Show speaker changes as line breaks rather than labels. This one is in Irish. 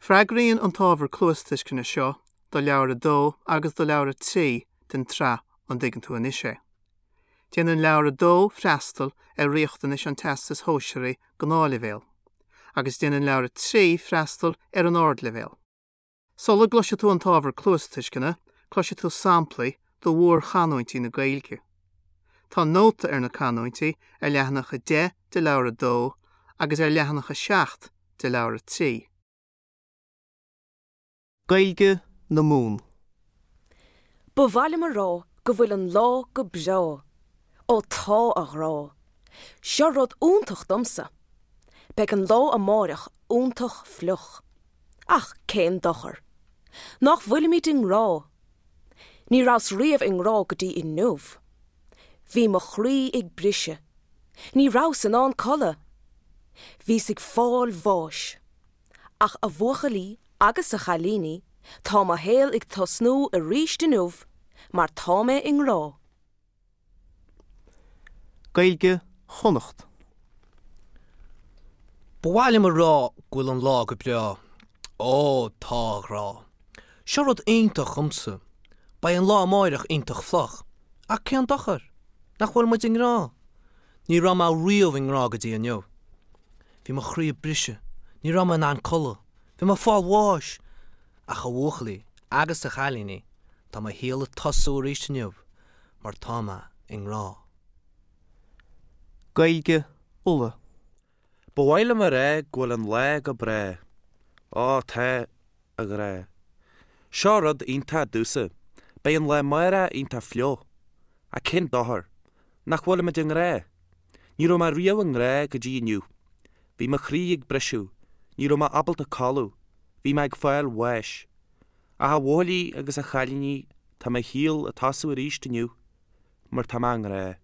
Freagraíonn an t-ábhar cluastuisceana seo do Leabhar 2 agus do Leabhar 3 den tsraith An dTuigeann Tú Anois É? Déanann Leabhar 2 freastal ar riachtanais an Teastais Shóisearaigh Gnáthleibhéal, agus déanann Leabhar 3 freastal ar an Ardleibhéal. Sula gcloisfidh tú an t-ábhar cluastuisceana, cloisfidh tú samplaí de mhórchanúintí na Gaeilge. Tá nóta ar na canúintí ar leathanach 10 de Leabhar 2 agus ar leathanach 7 de Leabhar 3. Gaeilge na Mumhan.
Ba mhaith liom a rá go bhfuil an lá go breá. Ó tá, a ghrá. Seo rud iontach domsa. Beidh an lá amáireach iontach fliuch. Ach cén dochar? Nach bhfuilimid i ngrá? Ní rabhas riamh i ngrá go dtí inniu. Bhí mo chroí ag briseadh. Ní rabhas in ann codladh. Bhíos ag fáil bháis. Ach a bhuachaillí agus a chailíní, tá mo shaol ag tosnú arís inniu mar tá mé i ngrá.
Gaeilge Chonnacht.
Ba mhaith liom a rá go bhfuil an lá go breá. Ó, tá a ghrá. Seo rud iontach dhomsa. Beidh an lá amáireach iontach fliuch. Ach cén dochar? Nach bhfuil muid i ngrá? Ní raibh mé riamh i ngrá go dtí inniu. Bhí mo chroí ag briseadh. Ní raibh mé in ann codladh. Bhí mé ag fáil bháis! Ach a bhuachaillí agus a chailíní, tá mo shaol ag tosú arís inniu mar tá mé i ngrá.
Gaeilge Uladh.
Ba mhaith liom a rá go bhfuil an lá go breá. Ó, tá, a ghrá. Seo rud iontach domhsa. Beidh an lá amárach iontach fliuch. Ach cén dochar? Nach bhfuilimid i ngrá? Ní raibh mé riamh i ngrá go dtí inniu. Bhí mo chroí ag briseadh. Ní raibh mé ábalta codladh. Bhí mé ag fáil bháis. Ach a bhuachaillí agus a chailíní, tá mo shaol ag tosú arís inniu, mar tá mé i ngrá.